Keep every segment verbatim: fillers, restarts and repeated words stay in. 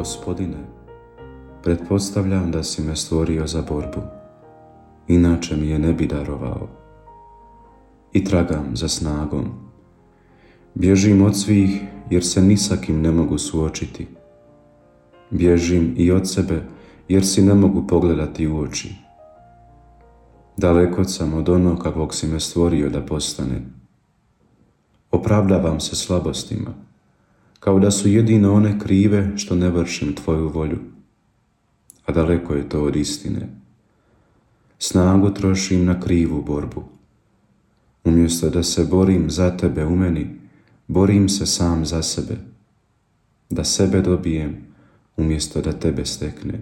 Gospodine, pretpostavljam da si me stvorio za borbu, inače mi je ne bi darovao. I tragam za snagom. Bježim od svih jer se ni sa kim ne mogu suočiti. Bježim i od sebe jer si ne mogu pogledati u oči. Daleko sam od onog kakvog si me stvorio da postane. Opravdavam se slabostima, kao da su jedino one krive što ne vršim tvoju volju. A daleko je to od istine. Snagu trošim na krivu borbu. Umjesto da se borim za tebe u meni, borim se sam za sebe. Da sebe dobijem, umjesto da tebe steknem.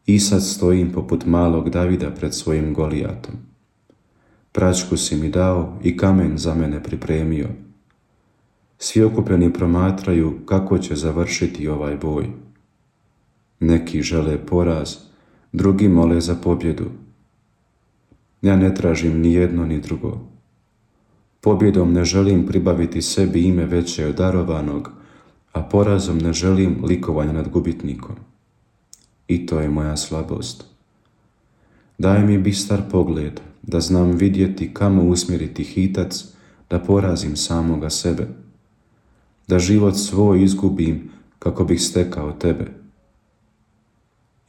I sad stojim poput malog Davida pred svojim Golijatom. Praćku si mi dao i kamen za mene pripremio. Svi okupljeni promatraju kako će završiti ovaj boj. Neki žele poraz, drugi mole za pobjedu. Ja ne tražim ni jedno ni drugo. Pobjedom ne želim pribaviti sebi ime veće od darovanog, a porazom ne želim likovanje nad gubitnikom. I to je moja slabost. Daj mi bistar pogled, da znam vidjeti kamo usmjeriti hitac, da porazim samoga sebe. Da život svoj izgubim kako bih stekao tebe.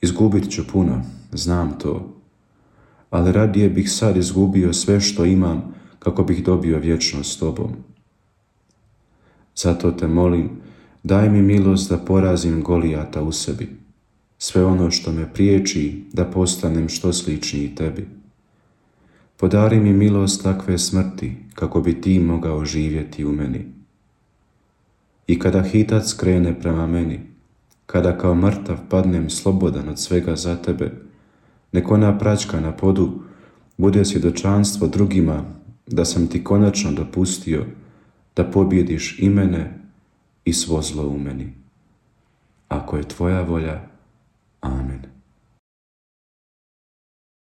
Izgubit ću puno, znam to, ali radije bih sad izgubio sve što imam kako bih dobio vječnost s tobom. Zato te molim, daj mi milost da porazim Golijata u sebi, sve ono što me priječi da postanem što sličniji tebi. Podari mi milost takve smrti kako bi ti mogao živjeti u meni. I kada hitac krene prema meni, kada kao mrtav padnem slobodan od svega za tebe, nek ona praćka na podu bude svjedočanstvo drugima da sam ti konačno dopustio da pobjediš i mene i svo zlo u meni. Ako je tvoja volja,